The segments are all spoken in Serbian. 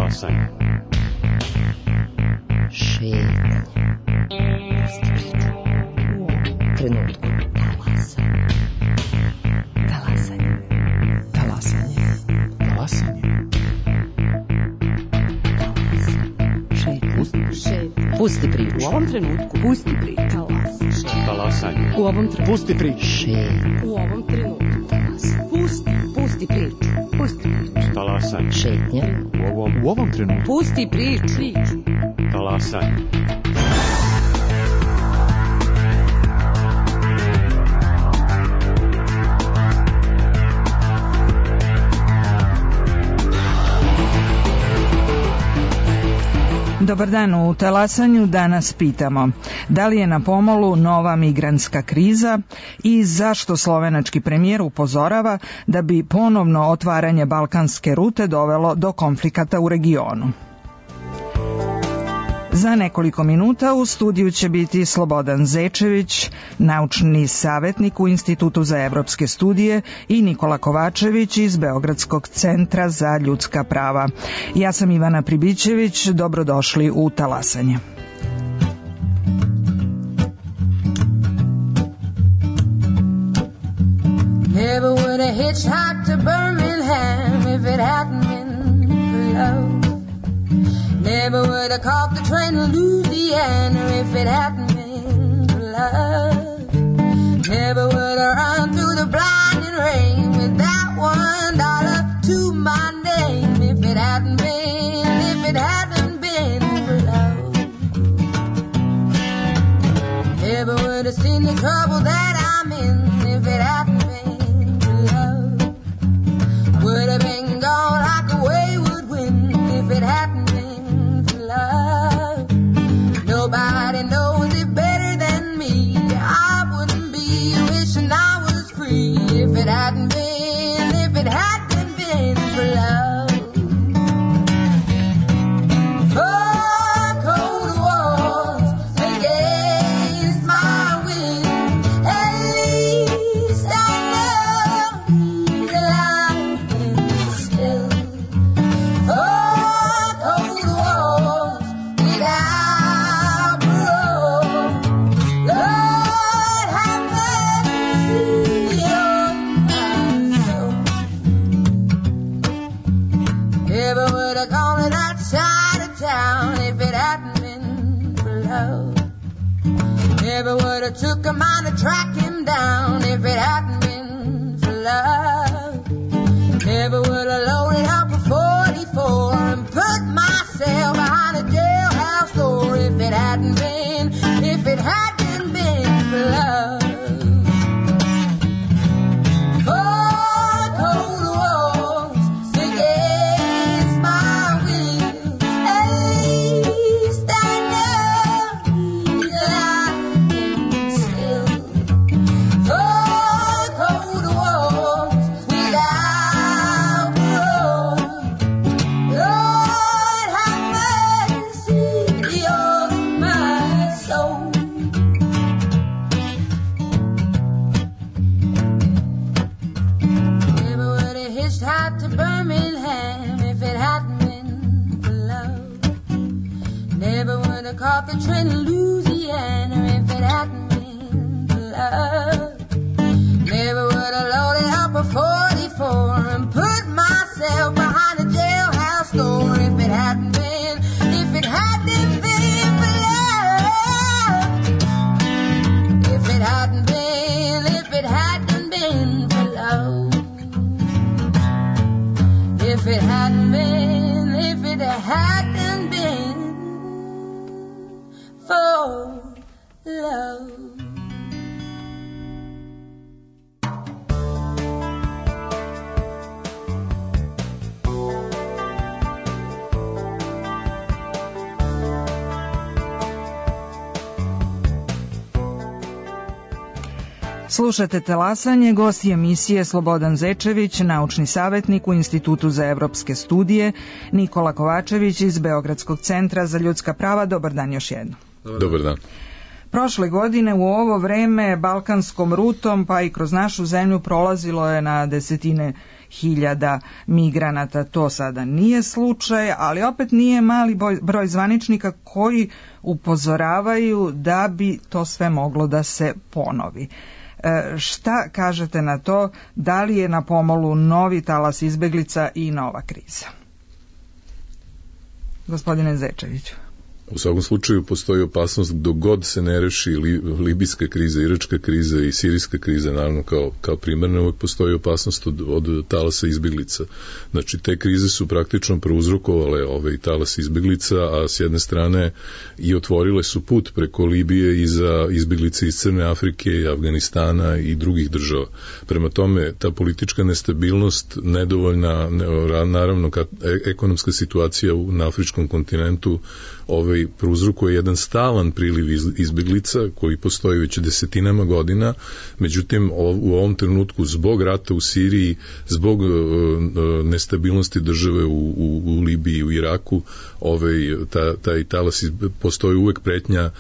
Talasanje. Šetnja. Trenutku. Talasanje. Talasanje. Talasanje. Pusti priču. U ovom trenutku. Pusti priču. Talasanje. U ovom trenutku. Pusti priču. U ovom trenutku. Pusti priču. Pusti priču. Talasanje. Šetnja. U ovom trenutku. Pusti priču. Talasanje. Dobar dan, u Talasanju danas pitamo da li je na pomolu nova migrantska kriza i zašto slovenački premijer upozorava da bi ponovno otvaranje balkanske rute dovelo do konflikata u regionu. Za nekoliko minuta u studiju će biti Slobodan Zečević, naučni savjetnik u Institutu za evropske studije, i Nikola Kovačević iz Beogradskog centra za ljudska prava. Ja sam Ivana Pribićević, dobrodošli u Talasanje. Never would have hitchhiked to Birmingham if it hadn't been for love. Never would have caught the train to Louisiana if it hadn't been for love. Never would have run through the blinding rain with that $1 to my name if it hadn't been for love. Never would have seen the trouble that I'm in if it hadn't been for love. Would have been gone like a wayward wind if it hadn't been for love. Nobody knows it better than me. I wouldn't be wishing I was free if it hadn't been for love. Oh, cold walls against my will. At least I know that I can still. Oh, cold walls without parole. Lord, have mercy on my soul. Never would have gone to that side of town if it hadn't been for love. Never would have took a mind to track him down if it hadn't been for love. Never would have loaded up a 44 and put myself behind a jailhouse door if it hadn't been for love. Oh, cold walls against my will. At least I know that I can still. Oh, cold walls without parole. Lord, have mercy on my soul. Never would have hitchhiked to Birmingham if it hadn't been for love. Never would have caught the train to Louisiana if it hadn't been for love. Never would have loaded up a 44 and put myself behind a jailhouse door if it hadn't been for love. If it hadn't been for love. If it hadn't been for love. Slušate Talasanje, gost je emisije Slobodan Zečević, naučni savjetnik u Institutu za evropske studije, Nikola Kovačević iz Beogradskog centra za ljudska prava. Dobar dan još jednom. Dobar dan. Prošle godine u ovo vreme balkanskom rutom pa i kroz našu zemlju prolazilo je na desetine hiljada migranata. To sada nije slučaj, ali opet nije mali broj zvaničnika koji upozoravaju da bi to sve moglo da se ponovi. Šta kažete na to? Da li je na pomolu novi talas izbeglica i nova kriza? Gospodine Zečeviću. U svakom slučaju postoji opasnost dok god se ne reši libijska kriza, iračka kriza i sirijska kriza, naravno kao primarna, uvek postoji opasnost od talasa izbeglica. Znači, te krize su praktično prouzrokovale talas izbeglica, a s jedne strane i otvorile su put preko Libije i za izbeglice iz Crne Afrike, Afganistana i drugih država. Prema tome, ta politička nestabilnost, nedovoljna, naravno, ekonomska situacija na afričkom kontinentu prouzrokuje jedan stalan priliv izbeglica koji postoji već desetinama godina, međutim u ovom trenutku zbog rata u Siriji, zbog nestabilnosti države u Libiji i u Iraku, taj talas postoji uvek pretnja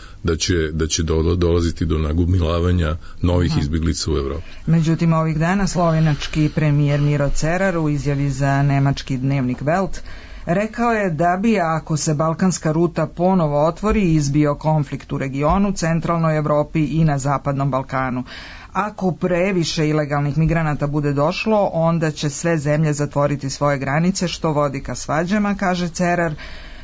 da će dolaziti do nagomilavanja novih izbeglica u Evropi. Međutim, ovih dana slovenački premijer Miro Cerar u izjavi za nemački dnevnik Welt rekao je da bi, ako se balkanska ruta ponovo otvori, izbio konflikt u regionu, centralnoj Evropi i na zapadnom Balkanu. Ako previše ilegalnih migranata bude došlo, onda će sve zemlje zatvoriti svoje granice, što vodi ka svađama, kaže Cerar.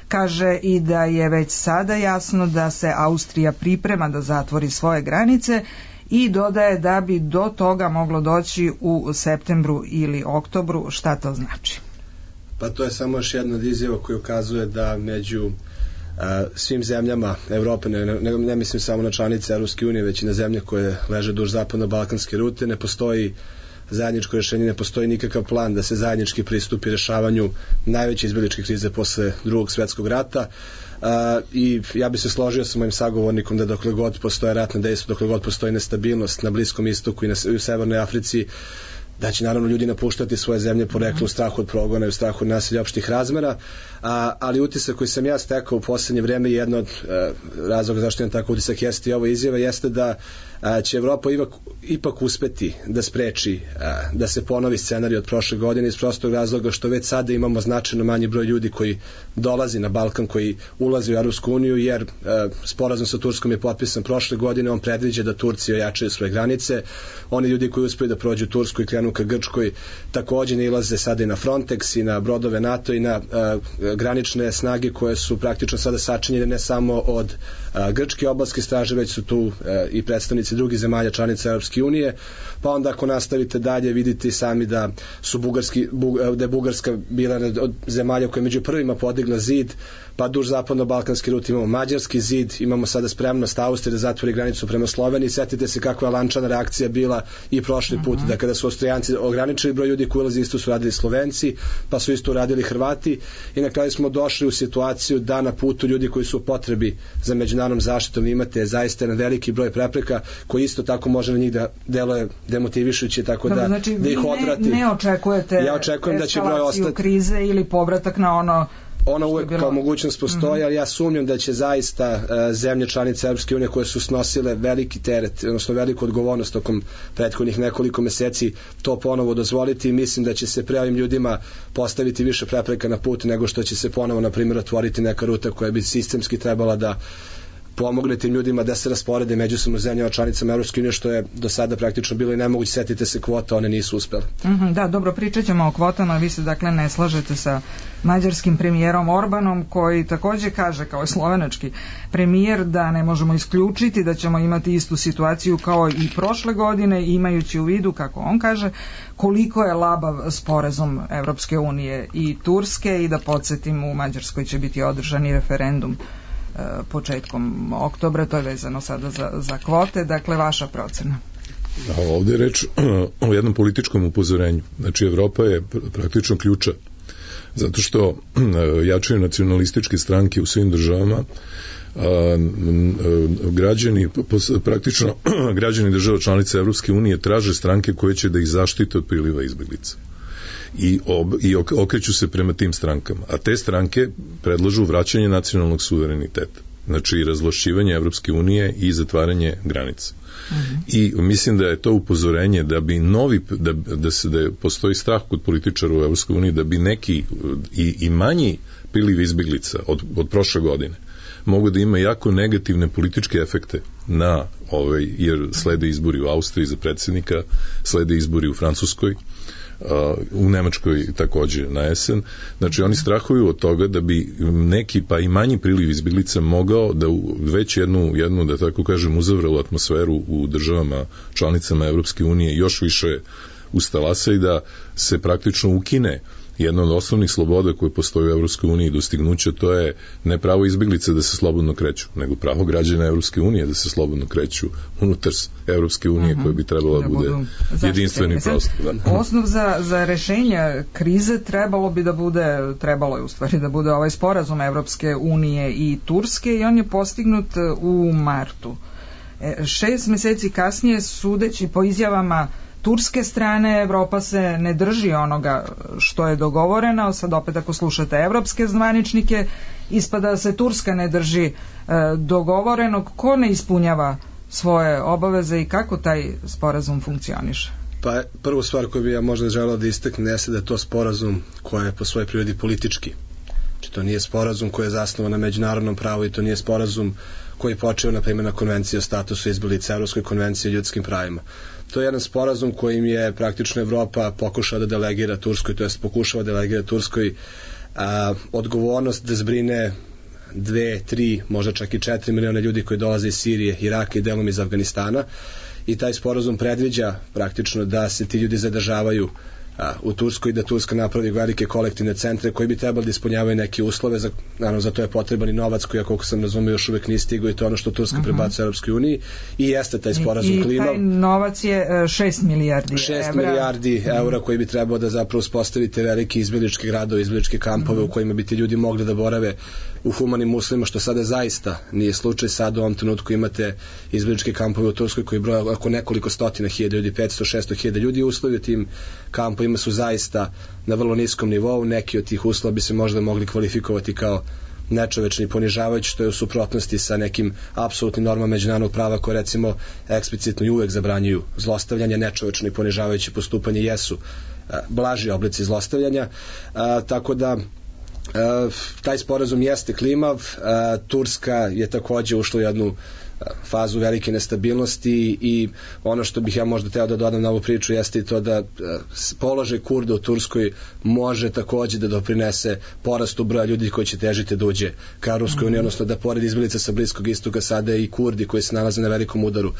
Kaže i da je već sada jasno da se Austrija priprema da zatvori svoje granice i dodaje da bi do toga moglo doći u septembru ili oktobru. Šta to znači? Pa to je samo još jedna od izjava koja ukazuje da među svim zemljama Evrope, ne mislim samo na članice Evropske unije, već i na zemlje koje leže duž zapadno-balkanske rute, ne postoji zajedničko rješenje, ne postoji nikakav plan da se zajednički pristupi rješavanju najveće izbegličke krize posle Drugog svjetskog rata. I ja bi se složio sa mojim sagovornikom da dokle god postoje ratne dejstva, dokle god postoji nestabilnost na Bliskom istoku i u Severnoj Africi, da će naravno ljudi napuštati svoje zemlje poreklu u strahu od progona i u strahu od nasilja opštih razmera, ali utisak koji sam ja stekao u poslednje vreme, jedno od razloga zašto imam tako utisak jeste i ova izjava, jeste da će Evropa ipak uspeti da spreči da se ponovi scenarij od prošle godine iz prostog razloga što već sada imamo značajno manji broj ljudi koji dolazi na Balkan, koji ulazi u Europsku uniju, jer sporazum sa Turskom je potpisan prošle godine, on predviđa da Turci ojačaju svoje granice, oni ljudi koji uspeju da prođu Tursku i krenu ka Grčkoj takođe ne ilaze sada i na Frontex i na brodove NATO i na granične snage koje su praktično sada sačinjene ne samo od grčke obalske straže, već su tu i predstavnici drugih zemalja članica Europske unije. Pa onda ako nastavite dalje vidite sami da da je Bugarska bila od zemalja koja je među prvima podigla zid, pa duž zapadno-balkanski rut imamo mađarski zid, imamo sada spremnost Austrije da zatvori granicu prema Sloveniji. Sjetite se kakva je lančana reakcija bila i prošli put, da kada su Austrijanci ograničili broj ljudi koji ulazi, isto su radili Slovenci, pa su isto radili Hrvati i na kraju smo došli u situaciju da na putu ljudi koji su u potrebi za međunarodnom zaštitom imate zaista jedan veliki broj prepreka koji isto tako može na njih da deluje demotivišući, tako da, znači, da ih odvrati. Ne očekujete ja očekujem da će broj ostati krize ili povratak na ono uvek kao mogućnost postoji, ali ja sumnjam da će zaista zemlje članice Europske unije koje su snosile veliki teret, odnosno veliku odgovornost tokom prethodnih nekoliko meseci to ponovo dozvoliti i mislim da će se pre ovim ljudima postaviti više prepreka na put nego što će se ponovo, na primjer, otvoriti neka ruta koja bi sistemski trebala da pomogne tim ljudima da se rasporede međusobno zemljama članicama Europske unije, što je do sada praktično bilo i nemoguće. Setite se kvota, one nisu uspjele. Da, dobro, pričat ćemo o kvotama. Vi se dakle ne slažete sa mađarskim premijerom Orbanom, koji takođe kaže, kao i slovenački premijer, da ne možemo isključiti da ćemo imati istu situaciju kao i prošle godine, imajući u vidu, kako on kaže, koliko je labav sporazum Evropske unije i Turske. I da podsjetim, u Mađarskoj će biti održani referendum početkom oktobra, to je vezano sada za kvote. Dakle, vaša procena? Ovdje je reč o jednom političkom upozorenju. Znači, Evropa je praktično ključa, zato što jačaju nacionalističke stranke u svim državama, praktično građani država članica Evropske unije traže stranke koje će da ih zaštite od priliva izbeglica. I okreću se prema tim strankama. A te stranke predlažu vraćanje nacionalnog suvereniteta. znači razvlašćivanje Evropske unije i zatvaranje granica. I mislim da je to upozorenje da bi da postoji strah kod političara u Evropskoj uniji da bi neki i manji priliv izbeglica od prošle godine mogu da ima jako negativne političke efekte na jer slede izbori u Austriji za predsjednika, slede izbori u Francuskoj, u Nemačkoj takođe na jesen. Znači oni strahuju od toga da bi neki pa i manji priliv izbeglica mogao da već jednu da tako kažem uzavralu atmosferu u državama članicama Evropske unije još više ustalasa i da se praktično ukine jedna od osnovnih sloboda koje postoje u Evropskoj uniji dostignuće, to je ne pravo izbeglice da se slobodno kreću, nego pravo građana Evropske unije da se slobodno kreću unutar Evropske unije koja bi trebala da bude jedinstveni prostor. Osnov za rešenje krize trebalo je u stvari da bude ovaj sporazum Evropske unije i Turske i on je postignut u martu. 6 meseci kasnije, sudeći po izjavama turske strane, Evropa se ne drži onoga što je dogovoreno. Sad opet ako slušate evropske zvaničnike, ispada da se Turska ne drži dogovorenog. Ko ne ispunjava svoje obaveze i kako taj sporazum funkcioniše? Pa prvu stvar koju bi ja možda želeo da istaknem jeste da je to sporazum koji je po svojoj prirodi politički. Znači to nije sporazum koji je zasnovan na međunarodnom pravu i to nije sporazum koji je počeo na primjer na konvenciji o statusu izbeglica, Evropskoj konvenciji o ljudskim pravima. To je jedan sporazum kojim je praktično Evropa pokušala da delegira Turskoj, to jest pokušava da delegira Turskoj odgovornost da zbrine 2, 3, možda čak i 4 miliona ljudi koji dolaze iz Sirije, Iraka i delom iz Afganistana i taj sporazum predviđa praktično da se ti ljudi zadržavaju u Turskoj i da Turska napravi velike kolektivne centre koji bi trebali da ispunjavaju neke uslove, naravno za to je potreban i novac koji, koliko sam razumio, još uvek nije stigao i to ono što Turska prebacuje Europskoj uniji i jeste taj sporazum klimav. I taj novac je 6 milijardi evra. 6 milijardi eura koji bi trebao da zapravo uspostavite velike izbegličke gradove, izbegličke kampove u kojima bi ti ljudi mogli da borave u humanim uslovima, što sada zaista nije slučaj. Sad u ovom trenutku imate izbegličke kampove u Turskoj koji broje oko nekoliko stotina hiljada ljudi, 500-600 hiljada ljudi. Uslovi u tim kampovima su zaista na vrlo niskom nivou. Neki od tih uslova bi se možda mogli kvalifikovati kao nečovečni, ponižavajući, što je u suprotnosti sa nekim apsolutnim normama međunarodnog prava koje recimo eksplicitno i uvek zabranjuju zlostavljanje. Nečovečno i ponižavajuće postupanje jesu blaži oblici zlostavljanja, tako da taj sporazum jeste klimav. Turska je takođe ušla u jednu fazu velike nestabilnosti i ono što bih ja možda teo da dodam na ovu priču jeste i to da položaj Kurda u Turskoj može takođe da doprinese porastu broja ljudi koji će težiti da uđe ka Europskoj uniji, odnosno da pored izbeglica sa Bliskog istoka sada i Kurdi koji se nalaze na velikom udaru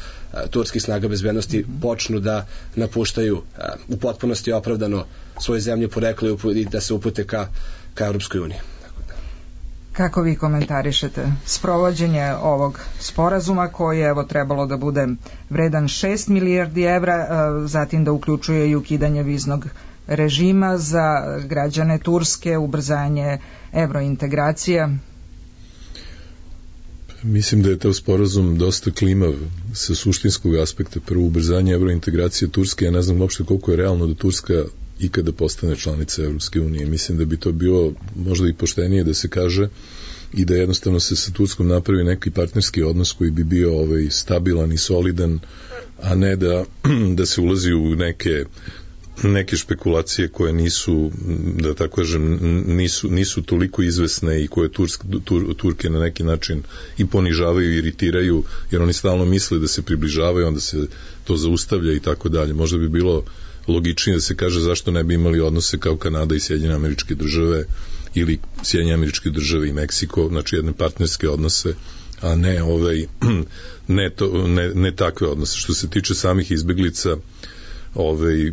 turskih snaga bezbednosti počnu da napuštaju u potpunosti opravdano svoje zemlje porekla i da se upute ka Europskoj uniji. Kako vi komentarišete sprovođenje ovog sporazuma koji je trebalo da bude vredan 6 milijardi evra, zatim da uključuje i ukidanje viznog režima za građane Turske, ubrzanje evrointegracija? Mislim da je taj sporazum dosta klimav sa suštinskog aspekta. Prvo, ubrzanje evrointegracije Turske, ja ne znam uopšte koliko je realno da Turska ikada postane članica Evropske unije. Mislim da bi to bilo možda i poštenije da se kaže i da jednostavno se sa Turskom napravi neki partnerski odnos koji bi bio stabilan i solidan, a ne da se ulazi u neke špekulacije koje nisu, da tako kažem, nisu toliko izvesne i koje Turke na neki način i ponižavaju i iritiraju, jer oni stalno misle da se približavaju, onda se to zaustavlja i tako dalje. Možda bi bilo logičnije da se kaže zašto ne bi imali odnose kao Kanada i Sjedinjene Američke Države ili Sjedinjene Američke Države i Meksiko, znači jedne partnerske odnose, a ne takve odnose. Što se tiče samih izbeglica,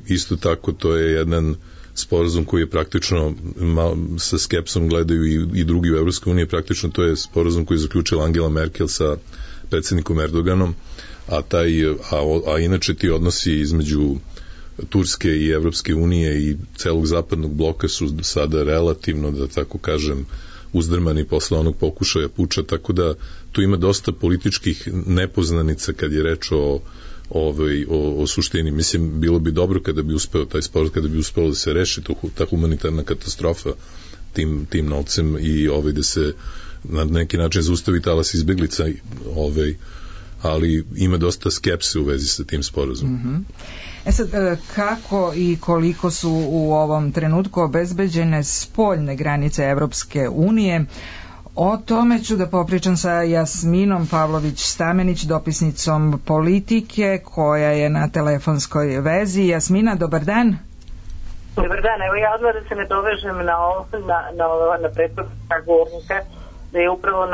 isto tako to je jedan sporazum koji je praktično sa skepsom gledaju i drugi u Evropskoj uniji, praktično to je sporazum koji je zaključila Angela Merkel sa predsjednikom Erdoganom, a inače ti odnosi između Turske i Evropske unije i celog zapadnog bloka su sada relativno, da tako kažem, uzdrmani posle onog pokušaja puča, tako da tu ima dosta političkih nepoznanica kad je reč o suštini. Mislim, bilo bi dobro kada bi uspeo taj sporazum, kada bi uspelo da se reši ta humanitarna katastrofa tim novcem i da se na neki način zaustavi talas izbeglica, ali ima dosta skepse u vezi sa tim sporazumom. Mm-hmm. Sad, kako i koliko su u ovom trenutku obezbeđene spoljne granice Evropske unije? O tome ću da popričam sa Jasminom Pavlović-Stamenić, dopisnicom Politike, koja je na telefonskoj vezi. Jasmina, dobar dan. Dobar dan, evo ja odmah da se ne dovežem na prethodnog govornika, da je upravo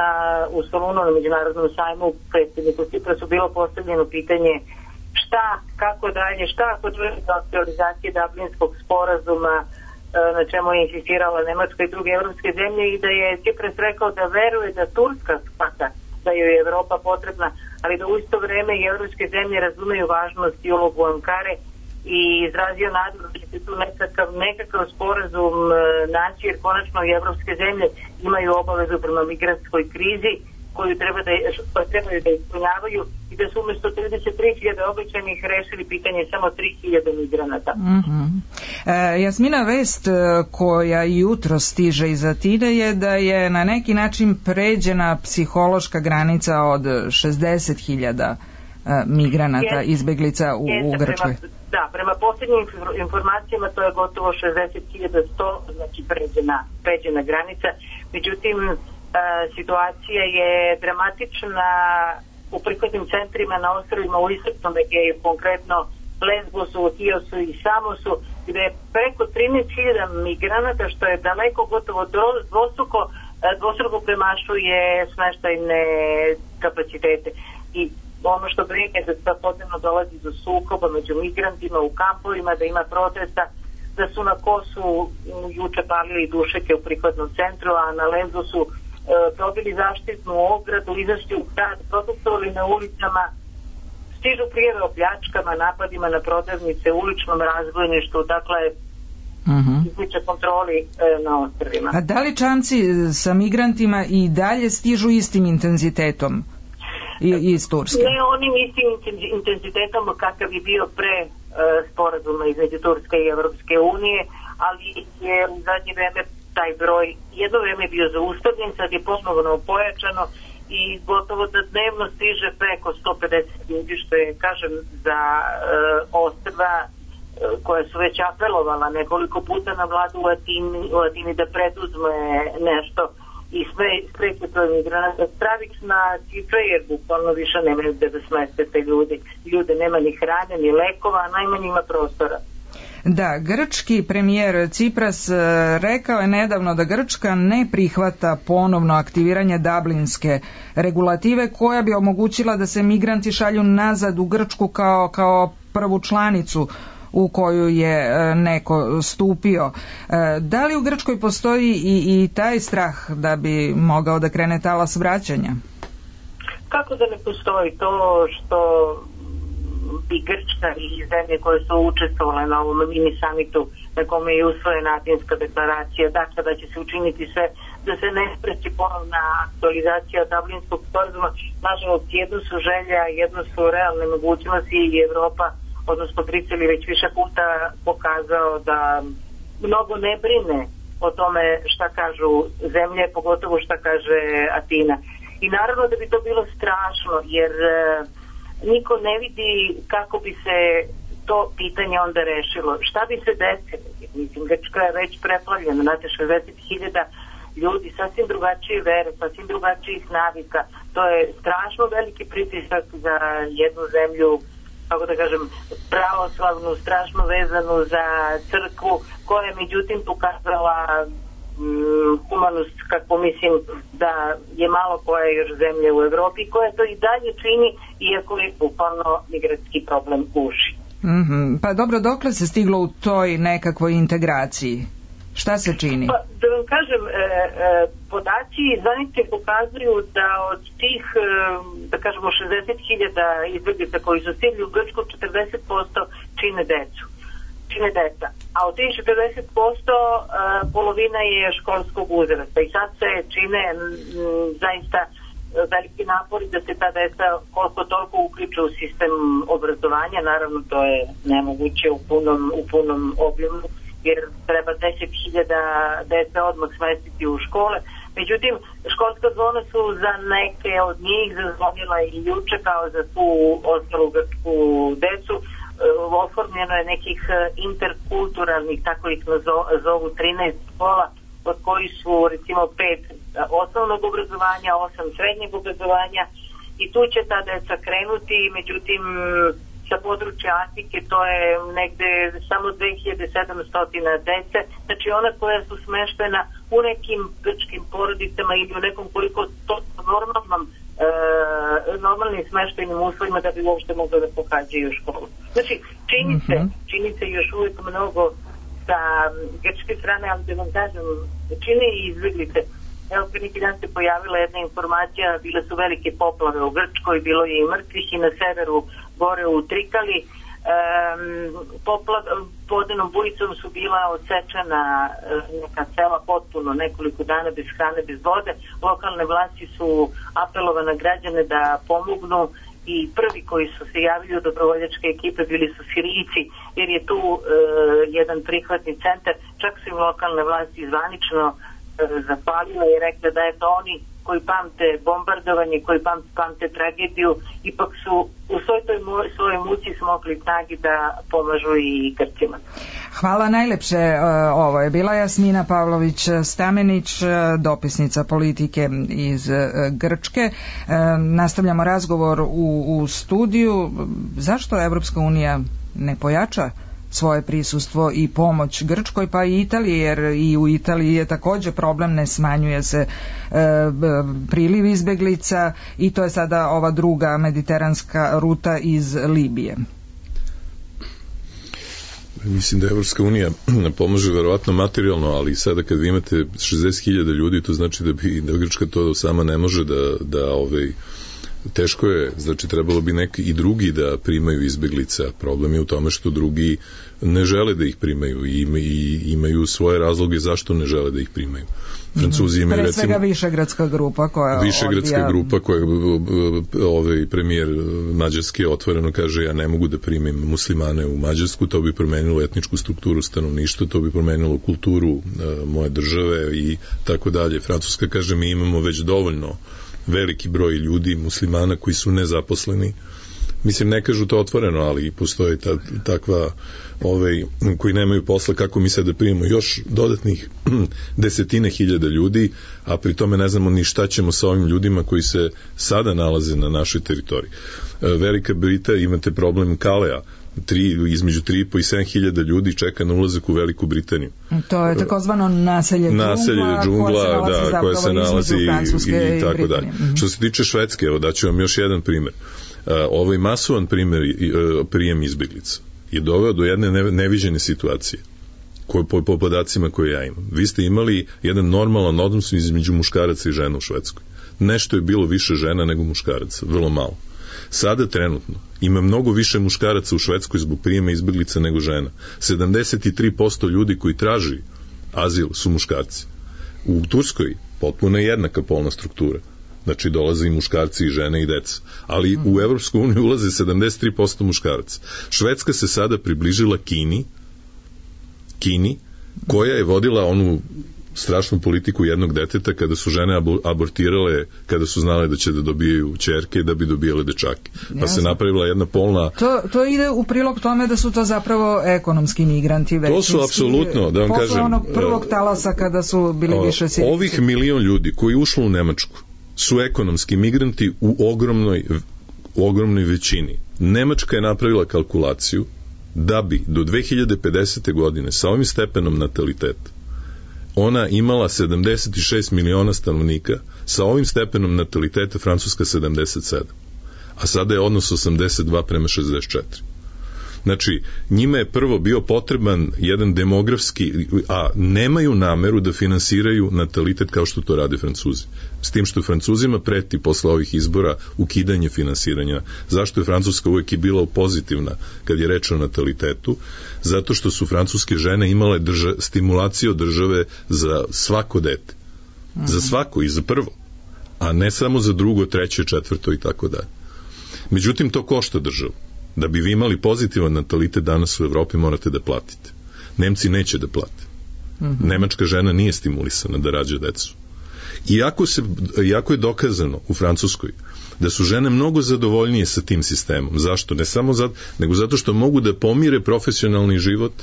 u Solunu na Međunarodnom sajmu predsjedniku Ciprasu bilo postavljeno pitanje šta, kako dalje, šta ako dođe do aktualizacije Dublinskog sporazuma, na čemu je insistirala Nemačka i druge evropske zemlje, i da je Cipras rekao da veruje da Turska shvata da joj je Evropa potrebna, ali da u isto vreme i evropske zemlje razumeju važnost i ulogu Ankare, i izrazio nadu da će se tu nekakav sporazum naći, jer konačno i evropske zemlje imaju obavezu prema migrantskoj krizi koju trebaju da ispunjavaju, i da su umjesto 33.000 obećanih rešili pitanje samo 3.000 migranata. Mm-hmm. Jasmina, vest koja jutro stiže iz Atine je da je na neki način pređena psihološka granica od 60.000 migranata, izbeglica u Grčkoj. Prema posljednjim informacijama to je gotovo 60.100, znači pređena granica. Međutim, situacija je dramatična u prihvatnim centrima na ostrvima u Istočnom Egeju, konkretno Lesbosu, Hiosu i Samosu, gde je preko 13.000 migranata, što je daleko gotovo dvostruko premašuje smeštajne kapacitete. I ono što brine da svakodnevno dolazi do sukoba među migrantima u kampovima, da ima protesta, da su na Kosu juče palili dušeke u prihvatnom centru, a na Lesbosu probili zaštitnu ogradu, izašli u grad, protestovali na ulicama, stižu prijave o pljačkama, napadima na prodavnice, uličnom razbojništvu, dakle izliče kontroli na ostrvima. A da li čamci sa migrantima i dalje stižu istim intenzitetom iz Turske? Ne onim istim intenzitetom kakav je bio pre sporazuma između Turske i Evropske unije, ali je u zadnje vreme taj broj jedno vreme bio zaustavljen, sad je ponovno pojačano i gotovo da dnevno stiže preko 150 ljudi, što je, kažem, za ostrva koja su već apelovala nekoliko puta na vladu u Atini da preduzme nešto i spreče to migranata. Stravična cifra, jer bukvalno više nemaju gde da smeste te ljude, nema ni hrane, ni lekova, a najmanje ima prostora. Da, grčki premijer Cipras rekao je nedavno da Grčka ne prihvata ponovno aktiviranje Dublinske regulative koja bi omogućila da se migranti šalju nazad u Grčku kao prvu članicu u koju je neko stupio. Da li u Grčkoj postoji i taj strah da bi mogao da krene talas vraćanja? Kako da ne postoji? To što i Grčka i zemlje koje su učestvovale na ovom mini samitu na kome je usvojena Atinska deklaracija, dakle da će se učiniti sve da se ne spreči ponovna aktualizacija Dublinskog sporazuma. Nažalost, jedno su želja, jedno su realne mogućnosti i Evropa, odnosno Brisel je već više puta pokazao da mnogo ne brine o tome šta kažu zemlje, pogotovo šta kaže Atina. I naravno da bi to bilo strašno, jer niko ne vidi kako bi se to pitanje onda rešilo. Šta bi se desilo? Mislim, Grčka je već preplavljena, znate, 60.000 ljudi, sasvim drugačije vere, sasvim drugačijih navika. To je strašno veliki pritisak za jednu zemlju, kako da kažem, pravoslavnu, strašno vezanu za crkvu, koja je međutim pokazala humanost, kako mislim da je malo koja još zemlje u Evropi, koja to i dalje čini, iako je bukvalno migratski problem uši. Pa dobro, dokle se stiglo u toj nekakvoj integraciji? Šta se čini? Pa, da vam kažem, podaci zvanični pokazuju da od tih, da kažemo, 60.000 izbjeglica koji su stigli u Grčku, 40% čine deca. A od tih 40% polovina je školskog uzrasta. I sad se čine zaista veliki napori da se ta deca koliko toliko uključe u sistem obrazovanja. Naravno, to je nemoguće u punom objemu, jer treba 10.000 dece odmah smestiti u škole. Međutim, školska zona su za neke od njih zazvonila i juče kao za tu ostalu grčku decu. Oformljeno je nekih interkulturalnih, tako ih zovu 13 škola, od koji su recimo 5 osnovnog obrazovanja, 8 srednjeg obrazovanja i tu će ta deca krenuti, međutim sa područja Atike to je negde samo 2700 dece, znači ona koja su smeštena u nekim grčkim porodicama ili u nekom koliko to normalnim smeštajnim uslovima da bi uopšte mogli da pohađaju školu. Znači, čini se još uvijek mnogo sa grčke strane, ali da vam kažem, čine i izbjeglice. Evo, pre neki dan se pojavila jedna informacija, bile su velike poplave u Grčkoj, bilo je i mrtvih i na severu gore u Trikali. Vodenom bujicom su bila odsečena neka sela potpuno, nekoliko dana bez hrane, bez vode. Lokalne vlasti su apelovane građane da pomognu i prvi koji su se javili u dobrovoljačke ekipe bili su Sirijci, jer je tu jedan prihvatni centar. Čak su im lokalne vlasti zvanično zapalile i rekli da je to oni koji pamte bombardovanje, koji pamte tragediju, ipak su u svojoj muci smogli snagi da pomažu i Grcima. Hvala najlepše. Ovo je bila Jasmina Pavlović-Stamenić, dopisnica politike iz Grčke. Nastavljamo razgovor u studiju. Zašto Evropska unija ne pojača svoje prisustvo i pomoć Grčkoj, pa i Italiji, jer i u Italiji je također problem, ne smanjuje se priliv izbeglica i to je sada ova druga mediteranska ruta iz Libije. Mislim da Evropska unija pomaže verovatno materijalno, ali sada kad vi imate 60.000 ljudi, to znači da Grčka to sama ne može da teško je, znači trebalo bi neki i drugi da primaju izbeglica. Problem je u tome što drugi ne žele da ih primaju i imaju svoje razloge zašto ne žele da ih primaju. Francuzi imaju pre svega Višegradska grupa koja grupa koja premijer Mađarske otvoreno kaže ja ne mogu da primim muslimane u Mađarsku, to bi promenilo etničku strukturu stanovništva, to bi promenilo kulturu moje države i tako dalje. Francuska kaže mi imamo već dovoljno veliki broj ljudi, muslimana koji su nezaposleni. Mislim, ne kažu to otvoreno, ali postoje takva koji nemaju posla, kako mi sad da primimo još dodatnih 10.000 ljudi, a pri tome ne znamo ni šta ćemo sa ovim ljudima koji se sada nalaze na našoj teritoriji. Velika Britanija, imate problem Kalea, između 3.500 i 7.000 ljudi čeka na ulazak u Veliku Britaniju. To je takozvano naselje džungla koje se nalazi i tako dalje. Što se tiče Švedske, evo daću vam još jedan primjer. Ovaj masovan prijem izbeglica je doveo do jedne neviđene situacije po podacima koje ja imam. Vi ste imali jedan normalan odnos između muškaraca i žena u Švedskoj. Nešto je bilo više žena nego muškaraca, vrlo malo. Sada trenutno ima mnogo više muškaraca u Švedskoj zbog prijema izbeglica nego žena. 73% ljudi koji traži azil su muškarci. U Turskoj potpuno je jednaka polna struktura. Znači dolaze i muškarci i žene i deca. Ali u Evropsku uniju ulaze 73% muškaraca. Švedska se sada približila Kini, koja je vodila onu strašnu politiku jednog deteta kada su žene abortirale, kada su znale da će da dobijaju ćerke da bi dobijale dečake. Pa se napravila jedna polna... To ide u prilog tome da su to zapravo ekonomski migranti većinski. To su apsolutno, da vam kažem... Posle onog prvog talasa kada su bili više Sirijci. Ovih 1 milion ljudi koji ušlo u Nemačku su ekonomski migranti u ogromnoj većini. Nemačka je napravila kalkulaciju da bi do 2050. godine sa ovim stepenom nataliteta ona imala 76 miliona stanovnika, sa ovim stepenom nataliteta Francuska 77. A sada je odnos 82:64. Znači, njima je prvo bio potreban jedan demografski, a nemaju nameru da finansiraju natalitet kao što to rade Francuzi. S tim što Francuzima preti posle ovih izbora ukidanje finansiranja. Zašto je Francuska uvek i bila pozitivna kad je reč o natalitetu? Zato što su francuske žene imale stimulaciju države za svako dete. Za svako i za prvo. A ne samo za drugo, treće, četvrto i tako dalje. Međutim, to košta državu. Da bi vi imali pozitivan natalitet danas u Evropi morate da platite. Nemci neće da plate. Nemačka žena nije stimulisana da rađa decu. Iako je dokazano u Francuskoj da su žene mnogo zadovoljnije sa tim sistemom. Zašto? Ne samo zato, nego zato što mogu da pomire profesionalni život,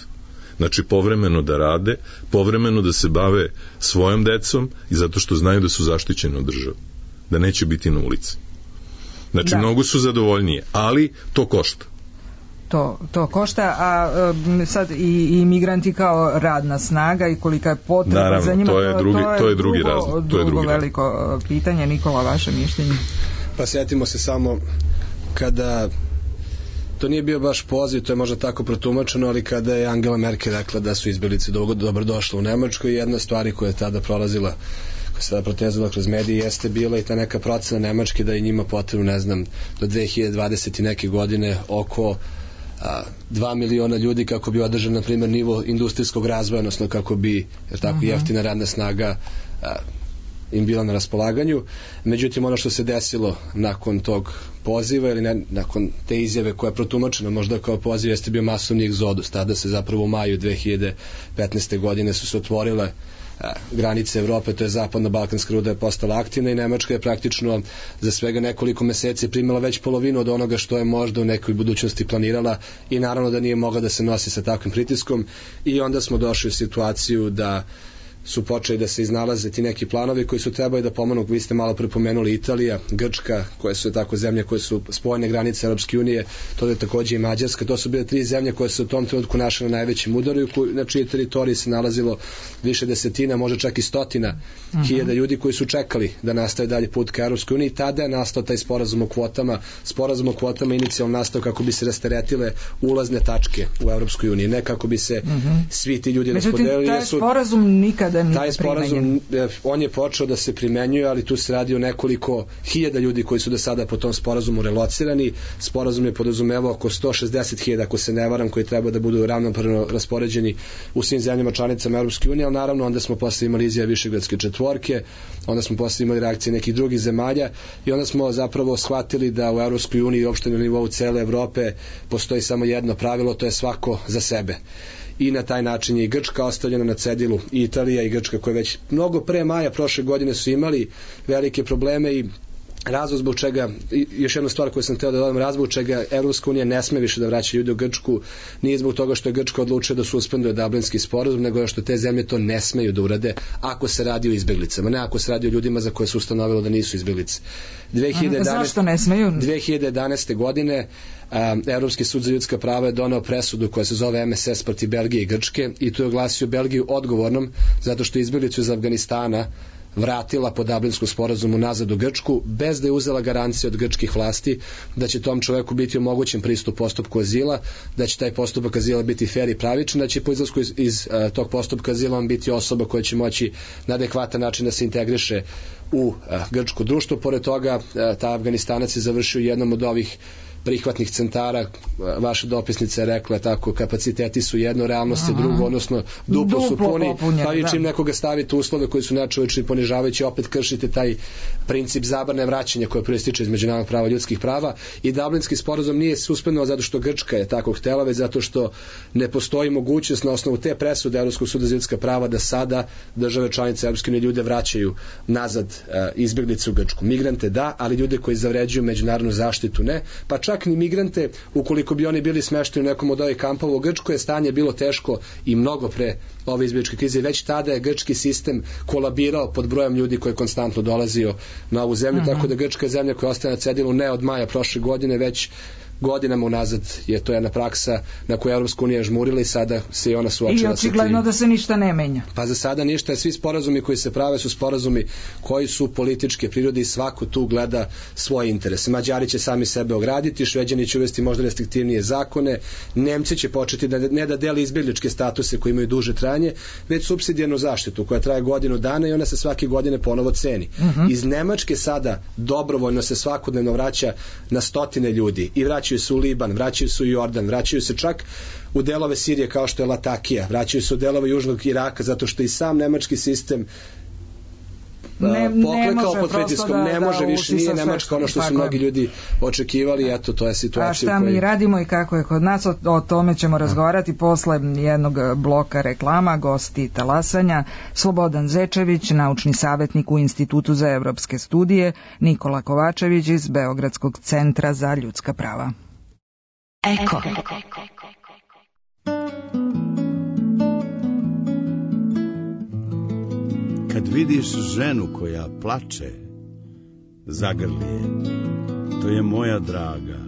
znači povremeno da rade, povremeno da se bave svojom decom i zato što znaju da su zaštićene od države, da neće biti na ulici. Znači, mnogo su zadovoljnije, ali to košta. To košta, a sad i migranti kao radna snaga i kolika je potreba. Naravno, za njima, to je drugi razlog. To je drugo veliko pitanje. Nikola, vaše mišljenje? Pa sjetimo se samo kada to nije bio baš poziv, to je možda tako protumačeno, ali kada je Angela Merkel rekla da su izbjeglice dobro došle u Nemačkoj, jedna stvari koja je tada prolazila, koja se tada protezala kroz medije, jeste bila i ta neka procena Nemačke da je njima potrebno, ne znam, do 2020. neke godine oko 2 miliona ljudi kako bi održan, na primjer, nivo industrijskog razvoja, odnosno kako bi jeftina radna snaga im bila na raspolaganju. Međutim, ono što se desilo nakon tog poziva ili nakon te izjave koja je protumačena možda kao poziv, jeste bio masovni egzodus. Tada se zapravo u maju 2015. godine su se otvorile granice Evrope, to je zapadna balkanska ruta je postala aktivna i Nemačka je praktično za svega nekoliko meseci primila već polovinu od onoga što je možda u nekoj budućnosti planirala i naravno da nije mogla da se nosi sa takvim pritiskom i onda smo došli u situaciju da su počeli da se iznalaze ti neki planovi koji su trebali da pomenu, vi ste malo prepomenuli Italija, Grčka, koje su tako zemlje koje su spojene granice Europske unije, to je takođe i Mađarska, to su bile 3 zemlje koje su u tom trenutku našle na najvećem udaru, na čijoj teritoriji se nalazilo više desetina, možda čak i stotina hiljada ljudi koji su čekali da nastave dalje put ka Europskoj uniji. Tada je nastao taj sporazum o kvotama inicijalno nastao kako bi se rasteretile ulazne tačke u Europskoj uniji, ne kako bi se svi ti ljudi raspodelili. Međutim, taj sporazum nikada taj sporazum, on je počeo da se primenjuje, ali tu se radi o nekoliko hiljada ljudi koji su do sada po tom sporazumu relocirani. Sporazum je podrazumevao oko 160.000, ako se ne varam, koji treba da budu ravnopravno raspoređeni u svim zemljama članicama Europske unije, ali naravno onda smo posle imali izjave Višegradske četvorke, onda smo posle imali reakcije nekih drugih zemalja i onda smo zapravo shvatili da u Europskoj uniji i uopšte na nivou cele Evrope postoji samo jedno pravilo, to je svako za sebe. I na taj način je i Grčka ostavljena na cedilu, i Italija i Grčka koje već mnogo pre maja prošle godine su imali velike probleme i razlog zbog čega, još jedna stvar koju sam htio da dodam, razlog zbog čega Evropska unija ne sme više da vraća ljudi u Grčku nije zbog toga što je Grčka odlučila da suspenduje Dublinski sporazum, nego što te zemlje to ne smeju da urade ako se radi o izbeglicama, ne ako se radi o ljudima za koje se ustanovilo da nisu izbeglice. Zašto ne smeju? 2011. godine Evropski sud za ljudska prava je doneo presudu koja se zove MSS protiv Belgije i Grčke i tu je oglasio Belgiju odgovornom zato što izbeglicu iz Afganistana vratila po Dublinskom sporazumu nazad u Grčku bez da je uzela garancije od grčkih vlasti da će tom čoveku biti omogućen pristup postupku azila, da će taj postupak azila biti fair i pravičan, da će po izlasku iz tog postupka azila on biti osoba koja će moći na adekvatan način da se integriše u grčko društvo. Pored toga, ta Afganistanac je završio jednom od ovih prihvatnih centara, vaša dopisnica je rekla tako, kapaciteti su jedno, realnost je drugo, odnosno duplo su puni, pa i čim nekoga stavite uslove koji su nečovečni i ponižavajući, opet kršite taj princip zabrane vraćanja koje proističe iz međunarodnog prava ljudskih prava i Dublinski sporazum nije suspendovao zato što Grčka je tako htela, već zato što ne postoji mogućnost na osnovu te presude Evropskog suda za ljudska prava da sada države članice Evropske unije ljude vraćaju nazad izbjeglice u Grčku. Migrante da, ali ljude koji zavređuju međunarodnu zaštitu ne, pa čak ni migrante, ukoliko bi oni bili smešteni u nekom od ovih kampova u Grčkoj, je stanje bilo teško i mnogo pre ove izbjegličke krize. Već tada je grčki sistem kolabirao pod brojem ljudi koji je konstantno dolazio na ovu zemlju, tako da Grčka je zemlja koja ostaje na cedilu ne od maja prošle godine, već godinama unazad je to jedna praksa na koju Evropska unija žmurila i sada se i ona suočila sa tim. I očigledno da se ništa ne menja. Pa za sada ništa, svi sporazumi koji se prave su sporazumi koji su političke prirode i svako tu gleda svoje interese. Mađari će sami sebe ograditi, Šveđani će uvesti možda restriktivnije zakone, Nemci će početi da ne da deli izbjegličke statuse koji imaju duže trajanje, već supsidijarnu zaštitu koja traje godinu dana i ona se svake godine ponovo ceni. Iz Nemačke sada dobrovoljno se svakodnevno vraća na stotine ljudi i vraćaju se u Liban, vraćaju se u Jordan, vraćaju se čak u delove Sirije kao što je Latakija, vraćaju se u delove južnog Iraka zato što i sam nemački sistem poklekao pod pritiskom, ne može više, nije Nemačka ono što su mnogi ljudi očekivali, eto, to je situacija. A šta mi radimo i kako je kod nas, o tome ćemo razgovarati posle jednog bloka reklama. Gosti talasanja: Slobodan Zečević, naučni savjetnik u Institutu za evropske studije, Nikola Kovačević iz Beogradskog centra za ljudska prava. Eko. Kad vidiš ženu koja plače, zagrli je, to je moja draga.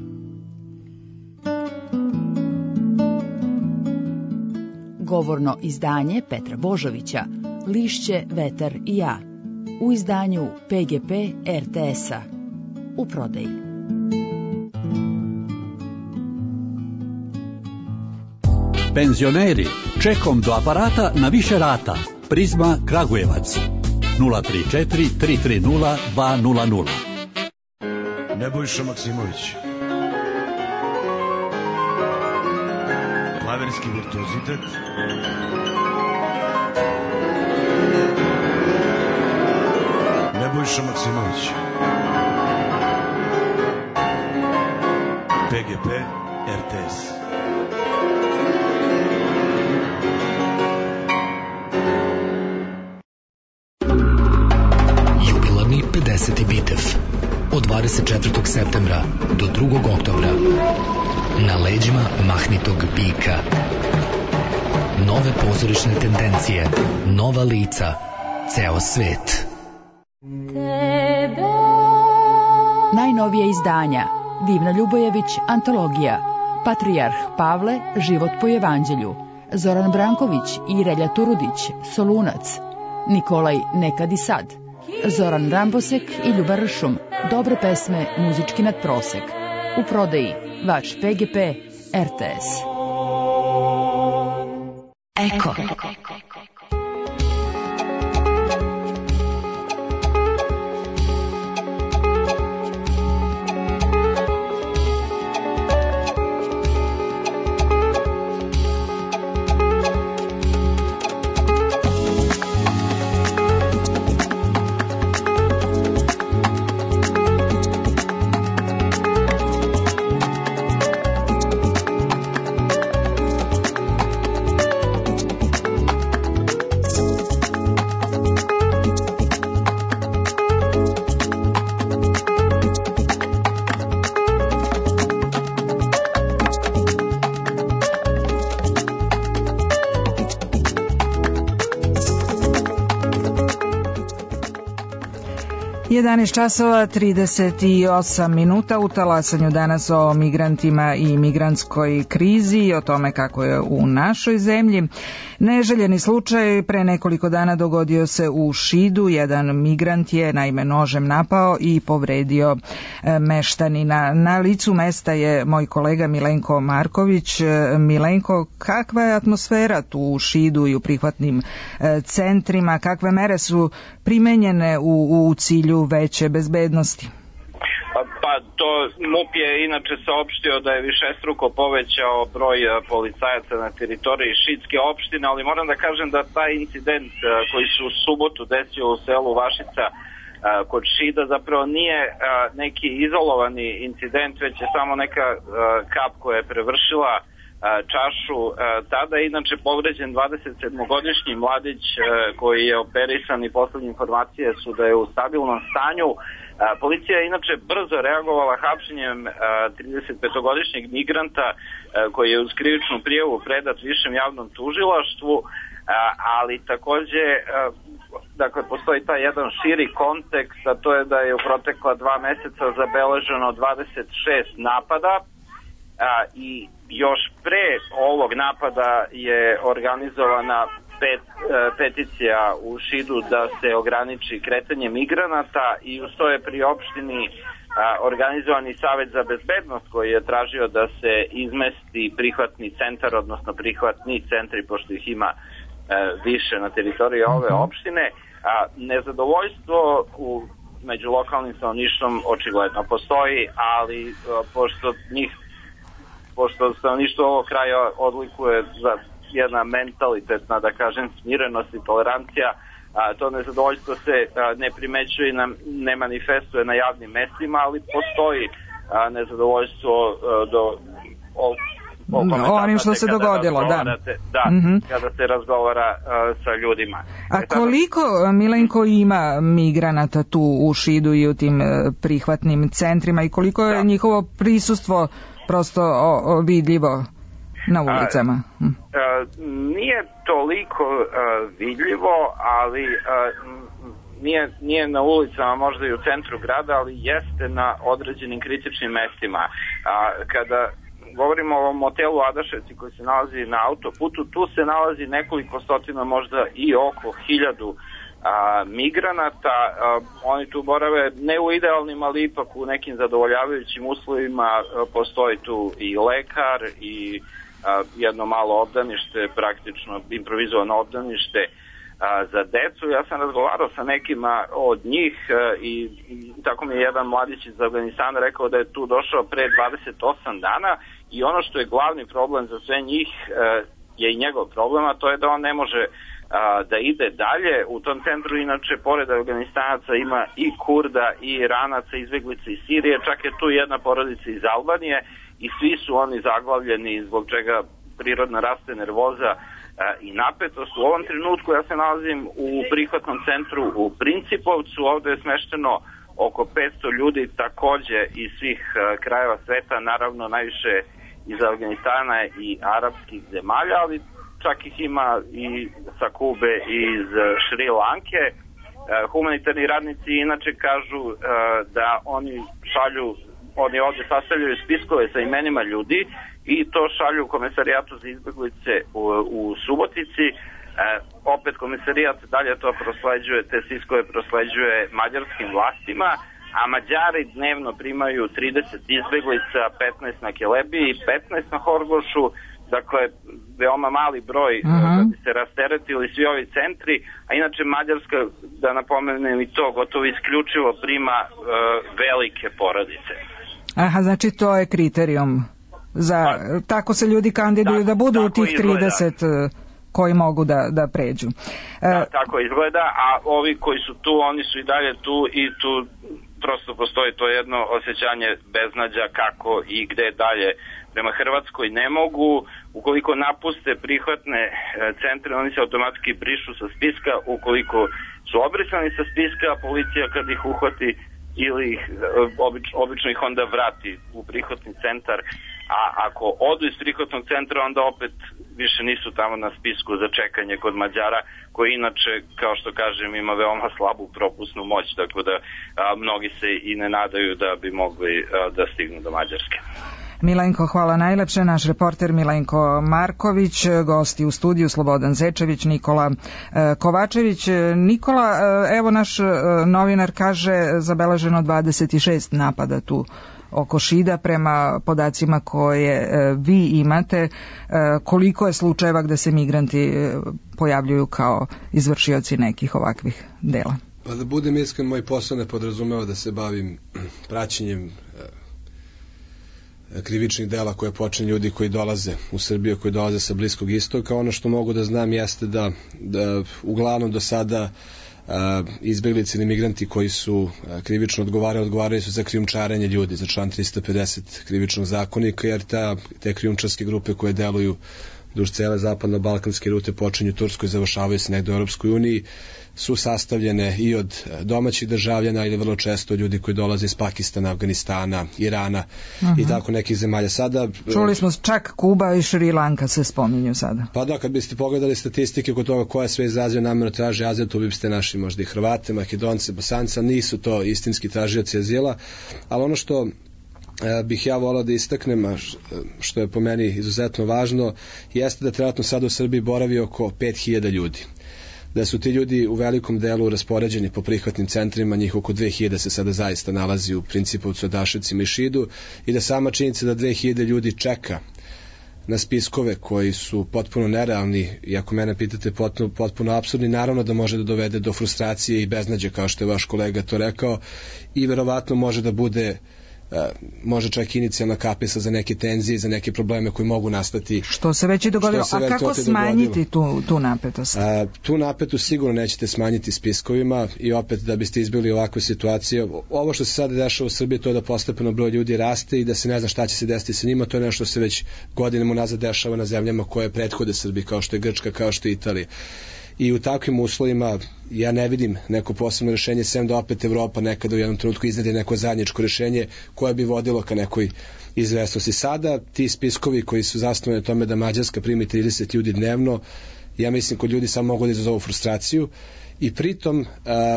Govorno izdanje Petra Božovića, Lišće, vetar i ja, u izdanju PGP RTS-a, u prodaji. Penzioneri, čekom do aparata na više rata. Prizma Kragujevac 034 330 200. Nebojša Maksimović. Klaverski virtuozitet. Nebojša Maksimović. PGP RTS. Jubilarni 50. bitev od 24. septembra do 2. oktobra na leđima mahnitog bika. Nove pozorišne tendencije, nova lica, ceo svet. Najnovije izdanja: Divna Ljubojević, antologija, Patrijarh Pavle, život po evanđelju, Zoran Branković i Relja Turudić, Solunac, Nikolaj Nekad i sad, Zoran Rambosek i Ljuba Ršum, dobre pesme, muzički nadprosek. U prodaji vaš PGP RTS. Eko. 11 časova 38 minuta. U talasanju danas o migrantima i migrantskoj krizi i o tome kako je u našoj zemlji. Neželjeni slučaj pre nekoliko dana dogodio se u Šidu. Jedan migrant je naime nožem napao i povredio meštanina. Na licu mesta je moj kolega Milenko Marković. Milenko, kakva je atmosfera tu u Šidu i u prihvatnim centrima? Kakve mere su primenjene u cilju veće bezbednosti? Pa to MUP je inače saopštio da je višestruko povećao broj policajaca na teritoriji šidske opštine, ali moram da kažem da taj incident koji se u subotu desio u selu Vašica kod Šida zapravo nije neki izolovani incident, već je samo neka kap koja je prevršila čašu. Tada je inače povređen 27-godišnji mladić koji je operisan i poslednje informacije su da je u stabilnom stanju. Policija je inače brzo reagovala hapšenjem 35-godišnjeg migranta koji je uz krivičnu prijavu predat višem javnom tužilaštvu, ali takođe dakle postoji taj jedan širi kontekst, a to je da je u protekla 2 meseca zabeleženo 26 napada i još pre ovog napada je organizovana peticija u Šidu da se ograniči kretanje migranata i uz to je pri opštini organizovani Savet za bezbednost koji je tražio da se izmesti prihvatni centar, odnosno prihvatni centri, pošto ih ima više na teritoriji ove opštine. Nezadovoljstvo među lokalnim stanovništvom očigledno postoji, ali pošto stanovništvo ovog kraja odlikuje za jedna mentalitetna, da kažem, smirenost i tolerancija, to nezadovoljstvo se ne primećuje i ne manifestuje na javnim mestima, ali postoji nezadovoljstvo onim što se dogodilo, da. Kada se razgovara sa ljudima. A koliko, Milenko, ima migranata tu u Šidu i u tim prihvatnim centrima i koliko je njihovo prisustvo prosto vidljivo na ulicama? Nije toliko vidljivo, ali nije na ulicama, možda i u centru grada, ali jeste na određenim kritičnim mestima. Kada govorimo o motelu Adaševci koji se nalazi na autoputu, tu se nalazi nekoliko stotina, možda i oko 1000 migranata. Oni tu borave ne u idealnim, ali ipak u nekim zadovoljavajućim uslovima. Postoji tu i lekar i jedno malo obdanište, praktično improvizovano obdanište za decu. Ja sam razgovarao sa nekima od njih i tako mi je jedan mladić iz Afganistana rekao da je tu došao pre 28 dana i ono što je glavni problem za sve njih je i njegov problem, a to je da on ne može da ide dalje. U tom centru inače pored Afganistanaca ima i Kurda i Iranaca, izbeglica iz Sirije, čak je tu jedna porodica iz Albanije i svi su oni zaglavljeni, zbog čega prirodno raste nervoza i napetost. U ovom trenutku ja se nalazim u prihvatnom centru u Principovcu, ovde je smešteno oko 500 ljudi, takođe iz svih krajeva sveta, naravno najviše iz Afganistana i arapskih zemalja, ali čak ih ima i sa Kube i iz Šri Lanke. Humanitarni radnici inače kažu da oni ovde sastavljaju spiskove sa imenima ljudi i to šalju u Komesarijatu za izbeglice u Subotici. Opet Komesarijat dalje to prosleđuje, te spiskove prosleđuje mađarskim vlastima, a Mađari dnevno primaju 30 izbeglica, 15 na Kelebiji, 15 na Horgošu, dakle veoma mali broj da bi se rasteretili svi ovi centri, a inače Mađarska, da napomenem i to, gotovo isključivo prima velike porodice. Aha, znači to je kriterijum za, tako se ljudi kandiduju da budu u tih 30 koji mogu da pređu. Tako izgleda, a ovi koji su tu, oni su i dalje tu i tu prosto postoji to jedno osjećanje beznađa kako i gde dalje. Prema Hrvatskoj ne mogu, ukoliko napuste prihvatne centre, oni se automatski brišu sa spiska, ukoliko su obrisani sa spiska, policija kad ih uhvati ili ih, obično ih onda vrati u prihvatni centar, a ako odu iz prihvatnog centra, onda opet više nisu tamo na spisku za čekanje kod Mađara, koji inače, kao što kažem, ima veoma slabu propusnu moć, tako da mnogi se i ne nadaju da bi mogli da stignu do Mađarske. Milenko, hvala najlepše. Naš reporter Milenko Marković, gosti u studiju Slobodan Zečević, Nikola Kovačević. Nikola, evo naš novinar kaže zabeleženo 26 napada tu oko Šida prema podacima koje vi imate. Koliko je slučajeva gde se migranti pojavljuju kao izvršioci nekih ovakvih dela? Pa da budem iskren, moj posao ne podrazumeva da se bavim praćenjem krivičnih dela koje počinju ljudi koji dolaze u Srbiju, koji dolaze sa Bliskog istoka. Ono što mogu da znam jeste da uglavnom do sada izbeglice ili migranti koji su krivično odgovaraju su za krijumčarenje ljudi, za član 350 krivičnog zakonika, jer te krijumčarske grupe koje deluju duž cele zapadno-balkanske rute počinju u Turskoj, završavaju se negde u Europskoj uniji, su sastavljene i od domaćih državljana ili vrlo često ljudi koji dolaze iz Pakistana, Afganistana, Irana i tako nekih zemalja. Sada čuli smo čak Kuba i Šri Lanka se spominju sada. Pa da, kad biste pogledali statistike kod toga koja sve izrazio namjerno traži azil, tu biste našli možda i Hrvate, Makedonce, Bosanca, nisu to istinski tražioci azila, ali ono što bih ja volao da istaknem, što je po meni izuzetno važno, jeste da trenutno sad u Srbiji boravi oko 5000 ljudi. Da su ti ljudi u velikom delu raspoređeni po prihvatnim centrima, njih oko 2000 se sada zaista nalazi u Principovcu, Adaševcima i Šidu, i da sama činjenica da 2000 ljudi čeka na spiskove koji su potpuno nerealni i ako mene pitate potpuno apsurdni, naravno da može da dovede do frustracije i beznađe, kao što je vaš kolega to rekao, i verovatno može da bude može čak inicijalna kapesa za neke tenzije, za neke probleme koji mogu nastati. Što se već i dogodilo. A kako smanjiti tu napetost? Tu napetost sigurno nećete smanjiti spiskovima i opet da biste izbjegli ovakve situacije. Ovo što se sada dešava u Srbiji, to je da postepeno broj ljudi raste i da se ne zna šta će se desiti sa njima. To je nešto što se već godinama unazad dešava na zemljama koje prethode Srbiji, kao što je Grčka, kao što je Italija. I u takvim uslovima ja ne vidim neko posebno rešenje, sem da opet Evropa nekada u jednom trenutku iznede neko zajedničko rešenje koje bi vodilo ka nekoj izvesnosti. Sada ti spiskovi koji su zasnovani na tome da Mađarska primi 30 ljudi dnevno, ja mislim kod ljudi samo mogu da izazovu frustraciju i pritom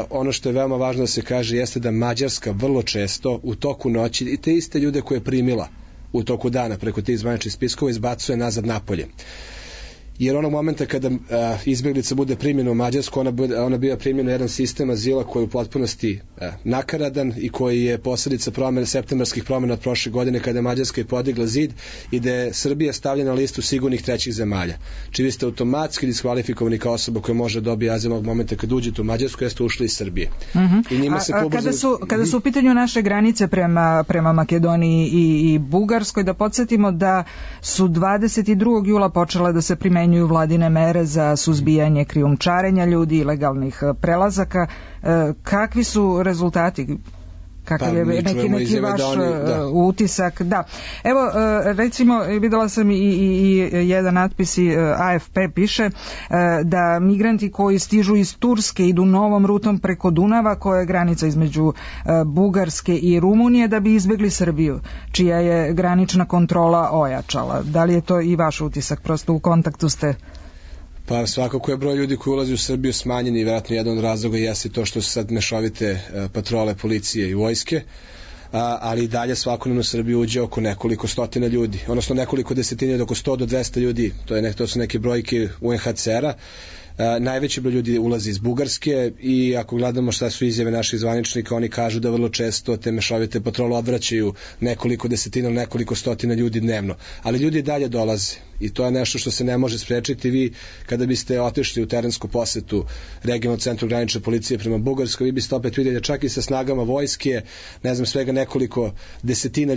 ono što je veoma važno da se kaže jeste da Mađarska vrlo često u toku noći i te iste ljude koje je primila u toku dana preko tih zvaničnih spiskova izbacuje nazad napolje. Jer onog momenta kada izbjeglica bude primljena u Mađarsku, ona biva primljena jedan sistem azila koji je u potpunosti nakaradan i koji je posljedica septembarskih promjena od prošle godine kada je Mađarska i podigla zid i da je Srbija stavljena na listu sigurnih trećih zemalja. Či vi ste automatski diskvalifikovani kao osoba koja može dobiti azil onog momenta kad uđete u Mađarsku, jeste ušli iz Srbije. I njima se kada su u pitanju naše granice prema Makedoniji i Bugarskoj, da podsjetimo da su 22. jula počele da se primenjuju vladine mere za suzbijanje krijumčarenja ljudi, ilegalnih prelazaka. Kakvi su rezultati? Kakav je neki vaš utisak? Da. Evo, recimo, videla sam i jedan natpis i AFP piše da migranti koji stižu iz Turske idu novom rutom preko Dunava, koja je granica između Bugarske i Rumunije, da bi izbjegli Srbiju, čija je granična kontrola ojačala. Da li je to i vaš utisak? Prosto u kontaktu ste? Pa svakako je broj ljudi koji ulazi u Srbiju smanjen i vjerojatno jedan od razloga jeste to što su sad mešovite patrole policije i vojske, ali i dalje svakodnevno u Srbiju uđe oko nekoliko stotina ljudi, odnosno nekoliko desetina od oko 100 do 200 ljudi, to su neke brojke UNHCR-a. Najveći broj ljudi ulazi iz Bugarske i ako gledamo šta su izjave naših zvaničnika, oni kažu da vrlo često te mešovite patrole odvraćaju nekoliko desetina, nekoliko stotina ljudi dnevno, ali ljudi dalje dolaze i to je nešto što se ne može sprečiti. Vi kada biste otišli u terensku posetu regionalnom centru granične policije prema Bugarskoj, vi biste opet vidjeli da čak i sa snagama vojske, ne znam, svega nekoliko desetina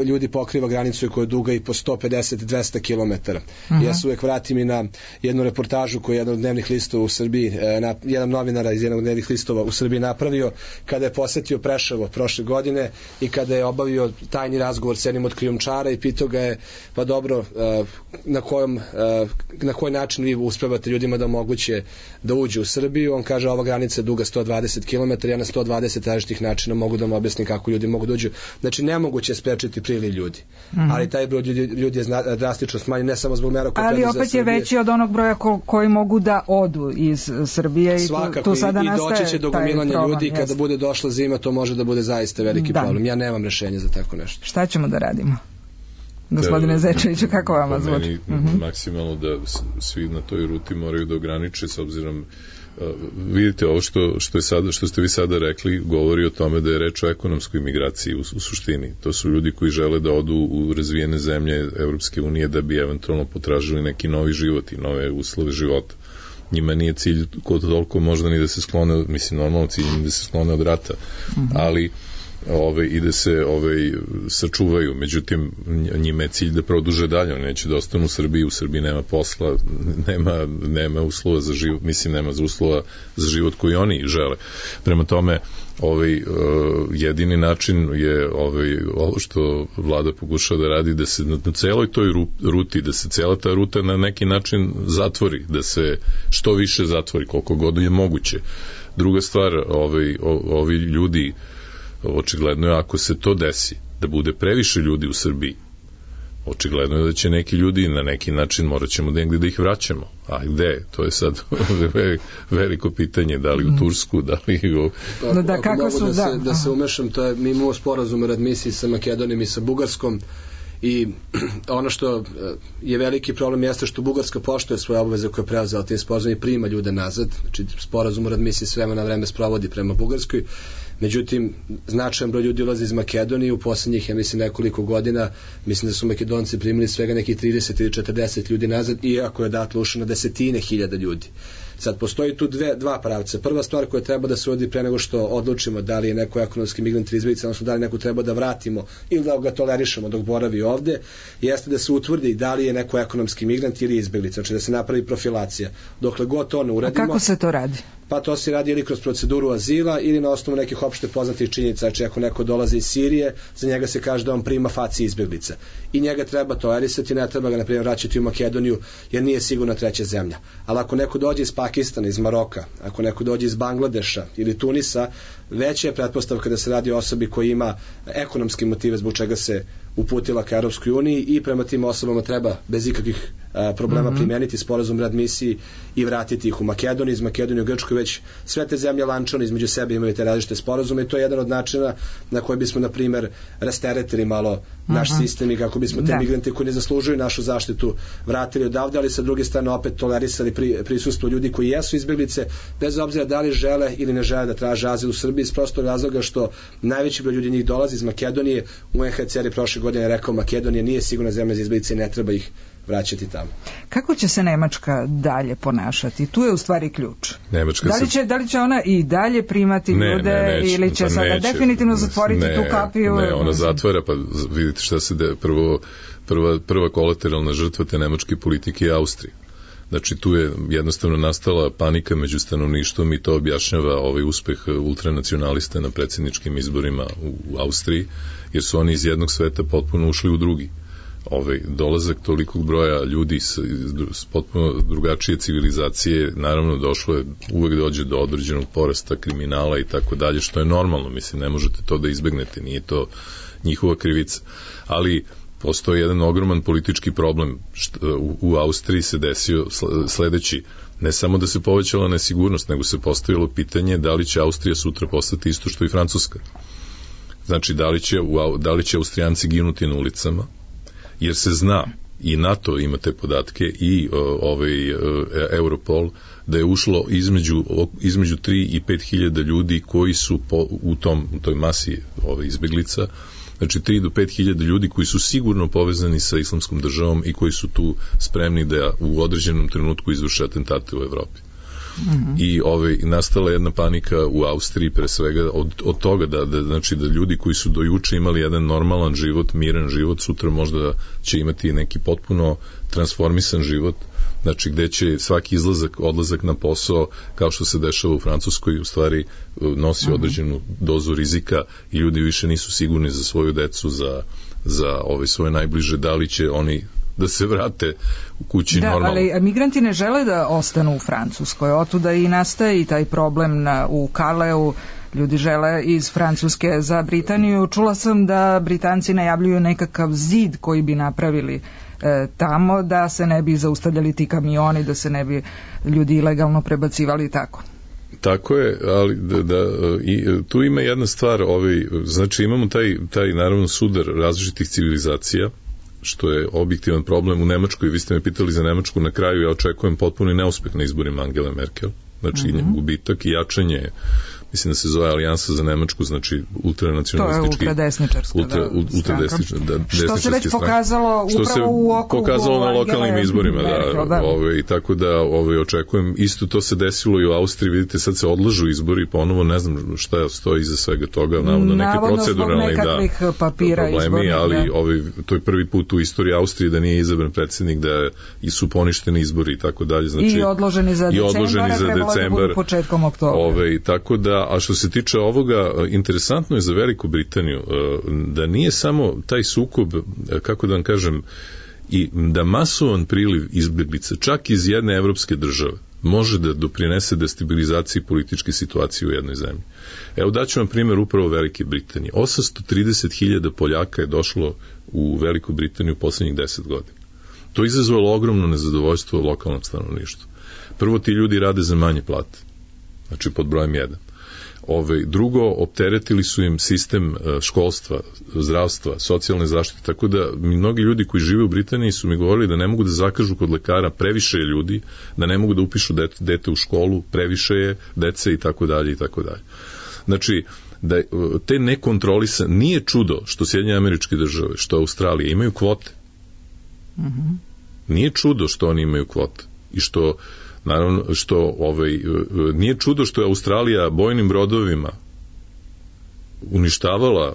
ljudi pokriva granicu koja je duga i po 150-200 km. Ja se uvek vratim i na jednu reportažu koju je jedan od dnevnih listova u Srbiji, jedan novinara iz jednog dnevnih listova u Srbiji napravio kada je posetio Preševo prošle godine i kada je obavio tajni razgovor s jednim od krijumčara i pitao ga je, pa dobro, na koji način vi uspevate ljudima da omoguće da uđe u Srbiju. On kaže, ova granica je duga 120 km, ja na 120 različitih načina mogu da vam objasnim kako ljudi mogu da uđu. Znači nemoguće je sprečiti priliv ljudi, ali taj broj ljudi je drastično smanjen, ne samo zbog mera koje ali opet je veći od onog broja koji mogu da odu iz Srbije. Svakako, tu sada i doći će do gomilanja ljudi i kada bude došla zima to može da bude zaista veliki problem. Ja nemam rešenje za tako nešto. Šta ćemo da radimo? Gospodine Zečeviću, kako vama zvuči? Maksimalno da svi na toj ruti moraju da ograniče, s obzirom vidite, ovo što ste vi sada rekli govori o tome da je reč o ekonomskoj migraciji u suštini. To su ljudi koji žele da odu u razvijene zemlje Evropske unije da bi eventualno potražili neki novi život i nove uslove života. Njima nije cilj toliko možda ni da se sklone, mislim normalno cilj da se sklone od rata, ali i da se sačuvaju, međutim njima je cilj da produže dalje, oni neće da ostanu u Srbiji nema posla, nema uslova za život, mislim nema uslova za život koji oni žele. Prema tome jedini način je ovo što vlada pokušava da radi, da se na celoj toj ruti, da se cela ta ruta na neki način zatvori, da se što više zatvori, koliko god je moguće. Druga stvar, ovi ljudi, očigledno je ako se to desi, da bude previše ljudi u Srbiji, očigledno je da će neki ljudi na neki način morat ćemo negdje da ih vraćamo. A gde? To je sad veliko pitanje, da li u Tursku, da li u... Da se umešam, to je, mi imamo sporazum o readmisiji sa Makedonijom i sa Bugarskom i ono što je veliki problem jeste što Bugarska poštuje svoje obaveze koje je preuzela tim sporazumom i prima ljude nazad, znači sporazum o readmisiji s vremena na vreme sprovodi prema Bugarskoj. Međutim, značajan broj ljudi ulazi iz Makedonije u posljednjih, ja mislim, nekoliko godina. Mislim da su Makedonci primili svega nekih 30 ili 40 ljudi nazad, iako je datle ušlo na desetine hiljada ljudi. Sad, postoji tu dva pravca. Prva stvar koja treba da se uradi pre nego što odlučimo da li je neko ekonomski migrant ili izbeglica, odnosno da li neko treba da vratimo ili da ga tolerišemo dok boravi ovde, jeste da se utvrdi da li je neko ekonomski migrant ili izbeglica, znači da se napravi profilacija. Dokle god to ne uradimo... A kako se to radi? Pa to se radi ili kroz proceduru azila ili na osnovu nekih opšte poznatih činjenica. Znači ako neko dolazi iz Sirije, za njega se kaže da on prima faci izbeglica. I njega treba tolerisati, ne treba ga na primjer vraćati u Makedoniju jer nije sigurna treća zemlja. Ali ako neko dođe iz Pakistana, iz Maroka, ako neko dođe iz Bangladeša ili Tunisa, veća je pretpostavka da se radi o osobi koja ima ekonomske motive zbog čega se uputila ka Europskoj uniji i prema tim osobama treba bez ikakvih problema primijeniti sporazum readmisiji i vratiti ih u Makedoniju, iz Makedonije u Grčku. Već sve te zemlje lančano između sebe imaju te različite sporazume i to je jedan od načina na koji bismo na primjer rasteretili malo naš sistem i kako bismo te migrante koji ne zaslužuju našu zaštitu vratili odavde, ali sa druge strane opet tolerisali prisustvo ljudi koji jesu izbeglice bez obzira da li žele ili ne žele da traže azil u Srbiji, iz prostog razloga što najveći broj ljudi njih dolazi iz Makedonije. UNHCR je prošle godine rekao Makedonija nije sigurna zemlja za izbeglice i ne treba ih vraćati tamo. Kako će se Nemačka dalje ponašati? Tu je u stvari ključ. Da li će ona i dalje primati ljude ili će sada definitivno zatvoriti tu kapiju? Ne, ona zatvara, pa vidite šta se prva kolateralna žrtva te nemačke politike je Austrija. Znači tu je jednostavno nastala panika među stanovništvom i to objašnjava ovaj uspeh ultranacionalista na predsjedničkim izborima u Austriji, jer su oni iz jednog sveta potpuno ušli u drugi. Dolazak tolikog broja ljudi s potpuno drugačije civilizacije, naravno uvek dođe do određenog porasta kriminala i tako dalje, što je normalno, mislim, ne možete to da izbegnete, nije to njihova krivica. Ali postoji jedan ogroman politički problem. U Austriji se desio sledeći, ne samo da se povećala nesigurnost, nego se postavilo pitanje da li će Austrija sutra postati isto što i Francuska. Znači, da li će Austrijanci ginuti na ulicama, jer se zna, i NATO ima te podatke, i Europol, da je ušlo između 3 i 5 hiljada ljudi koji su u toj masi izbeglica, znači 3 do 5 hiljada ljudi koji su sigurno povezani sa Islamskom državom i koji su tu spremni da u određenom trenutku izvrše atentate u Evropi. I nastala jedna panika u Austriji pre svega od toga da ljudi koji su do juče imali jedan normalan život, miran život, sutra možda će imati neki potpuno transformisan život, znači gde će svaki odlazak na posao, kao što se dešava u Francuskoj, u stvari nosi određenu dozu rizika i ljudi više nisu sigurni za svoju decu, za svoje najbliže, da li će oni da se vrate u kući normalno. Ali migranti ne žele da ostanu u Francuskoj, otuda i nastaje i taj problem u Kaleu, ljudi žele iz Francuske za Britaniju. Čula sam da Britanci najavljuju nekakav zid koji bi napravili tamo, da se ne bi zaustavljali ti kamioni, da se ne bi ljudi ilegalno prebacivali tako. Tako je, ali tu ima jedna stvar, znači imamo taj naravno sudar različitih civilizacija, što je objektivan problem u Nemačkoj. Vi ste me pitali za Nemačku, na kraju ja očekujem potpuni neuspeh na izborima Angele Merkel, znači gubitak i jačanje, mislim da se zove Alijansa za Nemačku, znači ultranacionalistički. To je ultradesničarska stranka. Što se već pokazalo upravo u okrugu pokazalo na lokalnim izborima, i tako da očekujem, isto to se desilo i u Austriji, vidite, sad se odlažu izbori, ponovo ne znam šta stoji iza svega toga, navodno neke proceduralne problemi, ali to je prvi put u istoriji Austrije da nije izabran predsjednik, da su poništeni izbori i tako dalje, znači i odloženi za decembar, trebalo da budu početkom oktobra. Tako da, a što se tiče ovoga, interesantno je za Veliku Britaniju da nije samo taj sukob, kako da vam kažem, i da masovan priliv izbeglica, čak iz jedne evropske države, može da doprinese destabilizaciji političke situacije u jednoj zemlji. Evo daću vam primjer upravo Velike Britanije. 830.000 Poljaka je došlo u Veliku Britaniju u poslednjih 10 godina. To je izazvalo ogromno nezadovoljstvo lokalnog stanovništva. Prvo, ti ljudi rade za manje plate, znači pod brojem 1. Drugo, opteretili su im sistem školstva, zdravstva, socijalne zaštite, tako da mnogi ljudi koji žive u Britaniji su mi govorili da ne mogu da zakažu kod lekara, previše je ljudi, da ne mogu da upišu dete u školu, previše je dece i tako dalje i tako dalje. Znači, da te nekontrolisane, nije čudo što Sjedinjene Američke Države, što Australija imaju kvote. Nije čudo što oni imaju kvote i što Naravno što nije čudo što je Australija bojnim brodovima uništavala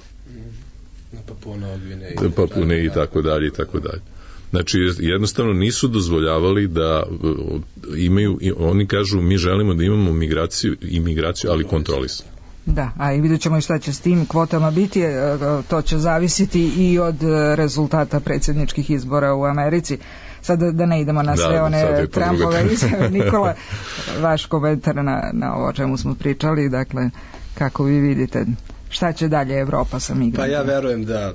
Papune i tako dalje i tako dalje. Znači, jednostavno nisu dozvoljavali da imaju, oni kažu mi želimo da imamo imigraciju, ali kontrolisano. Da, a i vidjet ćemo i šta će s tim kvotama biti, to će zavisiti i od rezultata predsjedničkih izbora u Americi. Sad da ne idemo na sve one Trumpove izjave. Nikola, vaš komentar na ovo o čemu smo pričali, dakle, kako vi vidite, šta će dalje Evropa sa migrantima? Pa ja verujem da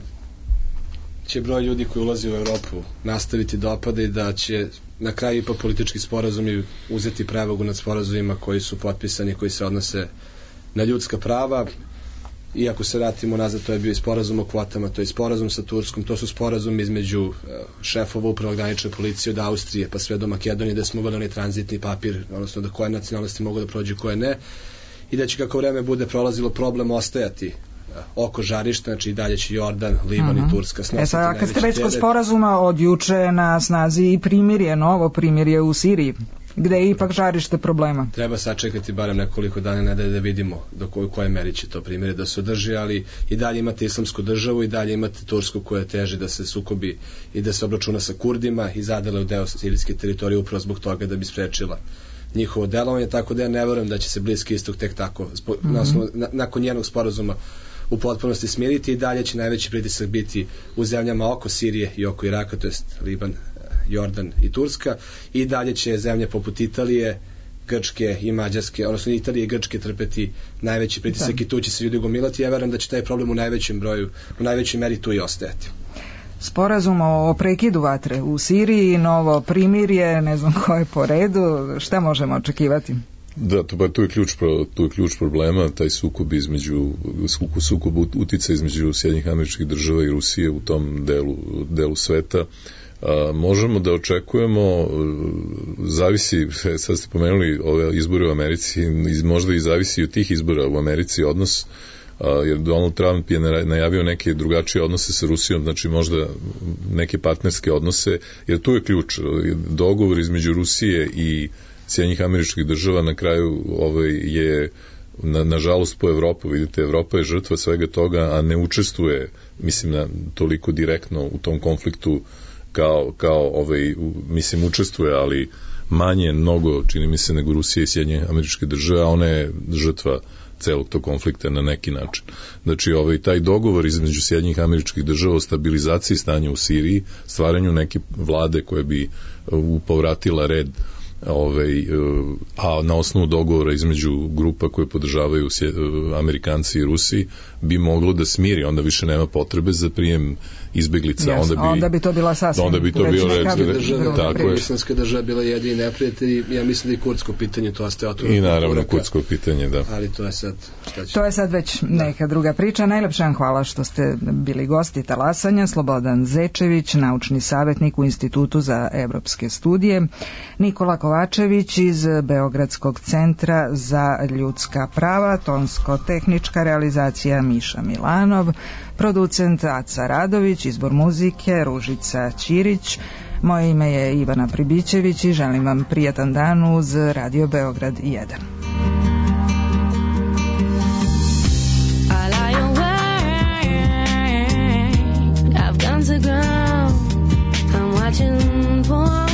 će broj ljudi koji ulazi u Evropu nastaviti da opada i da će na kraju ipak politički sporazumi uzeti prevagu nad sporazumima koji su potpisani, koji se odnose na ljudska prava. Iako se vratimo nazad, to je bio i sporazum o kvotama, to je sporazum sa Turskom, to su sporazumi između šefova upravo granične policije od Austrije pa sve do Makedonije, da smo uveli onaj tranzitni papir, odnosno da koje nacionalnosti mogu da prođu, koje ne, i da će kako vreme bude prolazilo problem ostajati oko žarišta, znači i dalje će Jordan, Liban i Turska snositi najveći teret. Kad ste već kod sporazuma, od juče na snazi i primirje, novo primirje u Siriji, gde je ipak žarište problema. Treba sačekati barem nekoliko dana, ne da vidimo do koje meri će to primirje da se održi, ali i dalje imate islamsku državu i dalje imate Tursku koja teži da se sukobi i da se obračuna sa Kurdima i zadele u deo sirijske teritorije upravo zbog toga da bi sprečila njihovo delovanje, tako da ja ne verujem da će se Bliski istok tek tako nakon njenog sporazuma u potpunosti smiriti i dalje će najveći pritisak biti u zemljama oko Sirije i oko Iraka, to jest Liban, Jordan i Turska, i dalje će zemlje poput Italije, Grčke i Mađarske, odnosno Italije i Grčke trpeti najveći pritisak i tu će se ljudi gomilati. Ja verujem da će taj problem u najvećoj meri tu i ostajati. Sporazum o prekidu vatre u Siriji, novo primirje, ne znam ko je po redu, šta možemo očekivati? Da, tu je ključ problema, taj sukob utica između Sjedinjenih Američkih Država i Rusije u tom delu sveta. Možemo da očekujemo, zavisi, sad ste pomenuli ove izbore u Americi, možda i zavisi od tih izbora u Americi odnos, jer Donald Trump je najavio neke drugačije odnose sa Rusijom, znači možda neke partnerske odnose, jer tu je ključ, dogovor između Rusije i Sjedinjenih Američkih Država na kraju je nažalost po Evropu, vidite, Evropa je žrtva svega toga, a ne učestvuje, mislim, toliko direktno u tom konfliktu mislim učestvuje, ali manje mnogo, čini mi se, nego Rusija i Sjedinjene Američke Države, a ona je žrtva celog tog konflikta na neki način. Znači, taj dogovor između Sjedinjenih Američkih Država o stabilizaciji stanja u Siriji, stvaranju neke vlade koje bi povratila red, a na osnovu dogovora između grupa koje podržavaju Amerikanci i Rusi, bi moglo da smiri, onda više nema potrebe za prijem izbeglica. Onda bi to bila sasvim islamska država bila jedini neprijatelj, ja mislim da i kurdsko pitanje to ostaje otvoreno. I naravno kurdsko pitanje, da. Ali to je sad već neka druga priča. Najlepša vam hvala što ste bili gosti Talasanja. Slobodan Zečević, naučni savjetnik u Institutu za evropske studije, Nikola Kovačević iz Beogradskog centra za ljudska prava, tonsko-tehnička realizacija Miša Milanov, producent Aca Radović, izbor muzike Ružica Ćirić. Moje ime je Ivana Pribićević i želim vam prijatan dan uz Radio Beograd 1. I've gone to ground. I'm watching for